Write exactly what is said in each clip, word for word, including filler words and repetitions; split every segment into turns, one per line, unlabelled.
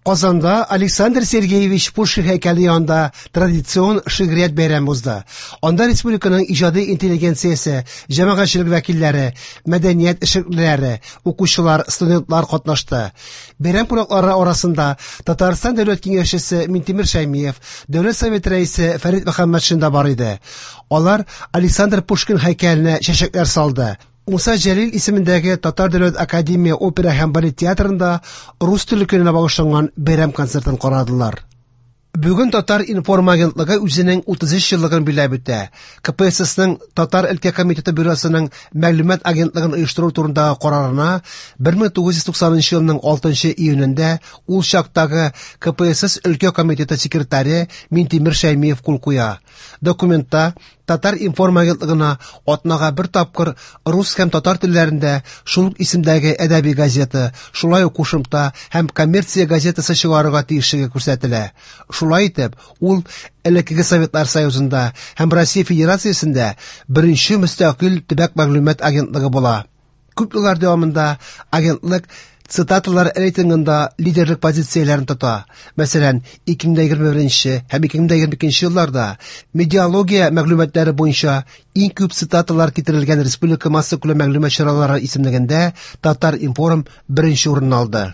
Казанда Александр Сергеевич Пушкин һәйкәле янында традицион шигърият бәйрәме узды. Анда республиканың иҗади интеллигенциясе, җәмәгатьчелек вәкилләре, мәдәният эшлеклеләре, укучылар, студентлар катнашты. Бәйрәм кунаклары арасында Татарстан Дәүләт Киңәшчесе Минтимер Шәймиев, Дәүләт Советы рәисе Фәрит Мөхәммәтшин да бар иде. Алар Александр Пушкин һәйкәленә чәчәкләр салды. Муса Җәлил исемендәге Татар дәүләт академия опера һәм балет театрында рус теле көненә багышланган бәйрәм концертын карадылар. Бүген Татар-информ агентлыгы үзенең утыз өч еллыгын билгеләп үтә. КПССның Татар өлкә комитеты бюросының мәгълүмат агентлыгын оештыру турындагы карарына бер мең тугыз йөз туксанынчы елның алтынчы июнендә ул чактагы КПСС өлкә комитеты секретаре Минтимер Шәймиев кул куя. Документта Татар-информ агентлыгына атнага бер тапкыр рус һәм татар телләрендә шул ук исемдәге әдәби газета, шулай ук кушымта һәм коммерция газетасы чыгарырга тиешлеге күрсәтелә. Шулай итеп, ул элеккеге Советлар Союзында һәм Россия Федерациясендә беренче мөстәкыйль төбәк мәгълүмат агентлыгы була. Күп еллар дәвамында агентлык цитаталар рейтингында лидерлык позицияләрен тота. Мәсәлән, ике мең егерме беренче һәм ике мең егерме икенче елларда медиалогия мәгълүматлары буенча иң күп цитаталар китерелгән республика массакүләм мәгълүмат чаралары исемлегендә Татар-информ беренче урын алды.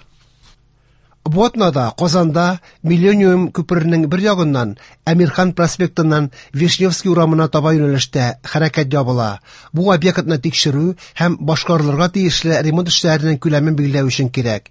Бу атнада Казанда Миллениум күперенең бер ягыннан Әмирхан проспектыннан Вишневский урамына таба юнәлештә хәрәкәт ябыла. Бу объектны тикшерү һәм башкарылырга тиешле ремонт эшләренең күләмен билгеләү өчен кирәк.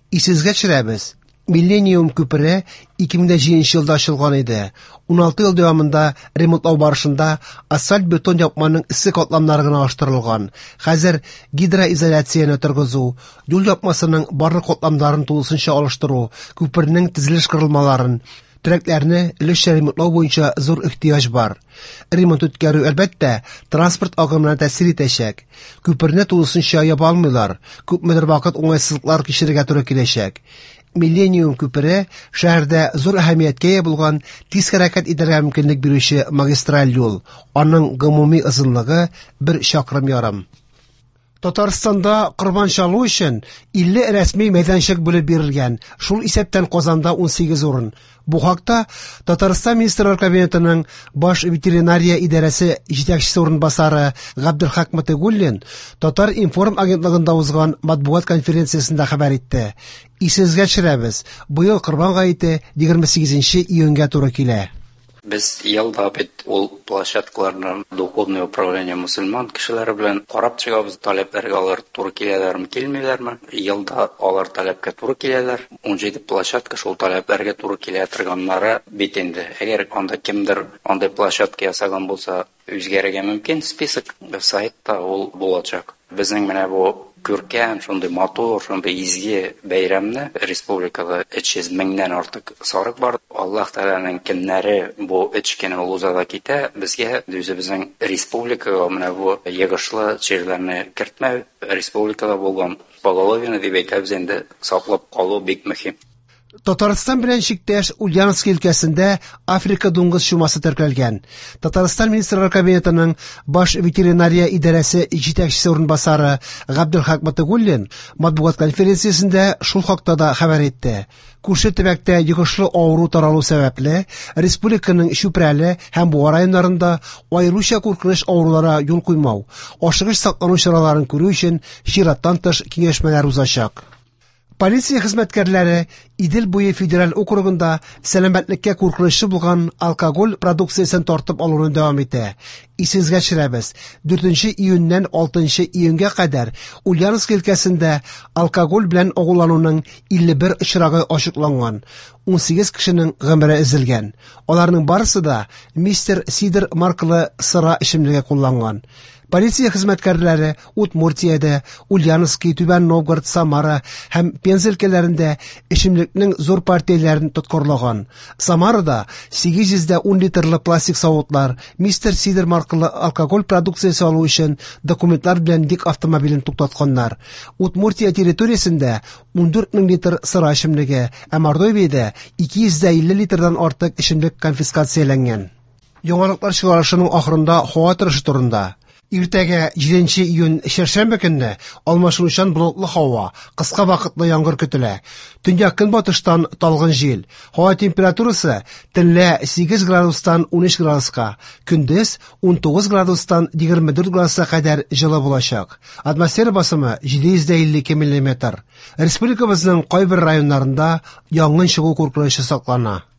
Исегезгә төшерәбез. Миллениум күпере ике мең җиденче елда ачылган иде. Уналты ел дәвамында ремонтлау барышында асфальт-бетон япманың эссе катламнары гына алыштырылган. Хәзер гидроизоляцияне торгызу, юл япмасының барлык катламнарын тулысынча алыштыру, күпернең төзелеш корылмаларын, терәкләрне өлешчә ремонтлау буенча зур ихтыяҗ бар. Ремонт үткәрү әлбәттә транспорт агымына тәэсир итәчәк. Күперне тулысынча яба алмыйлар, күпмедер вакыт уңайсызлыклар кичерергә туры киләчәк. Миллениум күпере шәһәрдә зур әһәмияткә ия булган тиз хәрәкәт итәргә мөмкинлек бирүче магистраль юл. Аның гомуми озынлыгы бер чакрым ярым. Татарстанда корбан чалу өчен илле рәсми мәйданчык бүлеп бирелгән, шул исәптән Казанда унсигез урын. Бу хакта Татарстан Министрлар Кабинетының баш ветеринария идарәсе җитәкчесе урынбасары Габделхак Мотыйгуллин Татар-информ агентлыгында узган матбугат конференциясендә хәбәр итте. Исегезгә төшерәбез, быел Корбан гаете егерме сигезенче июньгә туры килә.
Без елда бит ул площадкаларны духовное управление мусульман кешеләре белән карап чыгабыз, таләпләргә алар туры киләләрме, килмиләрме? Елда алар таләпкә туры киләләр. Унҗиде площадка шул таләпләргә туры килә торганнары бит инде. Әгәр анда кемдер андый площадка ясаган булса, үзгәрергә мөмкин список сайтта ул булачак. Безнең менә бу күркәм, шундый матур, шундый изге бәйрәмне республикада өч йөз меңнән артык сарык бар. Аллаһ Тәгаләнең көннәре бу өч көн ул уза да китә. Безгә үзебезнең республикага менә бу йогышлы чирләрне кертмәү, республикада булган поголовье дип әйтәбез инде, саклап калу бик мөһим.
Татарстан белән чиктәш Ульяновск өлкәсендә Африка дуңгыз чумасы теркәлгән. Татарстан Министрлар Кабинетының баш ветеринария идарәсе җитәкчесе урынбасары Габделхак Мотыйгуллин матбугат конференциясендә шул хакта да хәбәр итте. Күрше төбәктә йогышлы авыру таралу сәбәпле республиканың Чүпрәле һәм Буа районнарында аеруча куркыныч авыруларга юл куймау, ашыгыч саклану чараларын күрү өчен чираттан тыш киңәшмәләр узачак. Полиция хезмәткәрләре Идел буе федераль округында сәламәтлеккә куркынычлы булган алкоголь продукциясен тартып алуны дәвам итә. Исегезгә төшерәбез, дүртенче июньнән алтынчы июньгә кадәр Ульяновск өлкәсендә алкоголь белән агулануның илле бер очрагы ачыкланган. Унсигез кешенең гомере өзелгән. Аларның барысы да Мистер Сидр маркалы сыра эчемлеге кулланган. Полиция хезмәткәрләре Удмуртиядә, Ульяновский, Түбән Новгород, Самара һәм Пенза өлкәләрендә эчемлекнең зур партияләрен тоткарлаган. Самарада сигез йөз дә ун литрлы пластик савытлар, Мистер Сидр маркалы алкоголь продукциясе алу өчен документлар белән йөк автомобилен туктатканнар. Удмуртия территориясендә ундүрт мең литр сыра эчемлеге, ә Мордовиядә ике йөз дә илле литрдан артык эчемлек конфискацияләнгән. Яңалыклар чыгарышының ахырында һава торышы турында. Иртәгә җиденче июнь чәршәмбе көнне алмашынучан болытлы һава, кыска вакытлы яңгыр көтелә. Төньяк-көнбатыштан талгын җил. Һава температурасы төнлә сигез градустан унөч градуска, көндез унтугыз градустан егерме дүрт градуска кадәр җылы булачак. Атмосфера басымы җиде йөз дә илле ике миллиметр. Республикабызның кайбер районнарында янгын чыгу куркынычы саклана.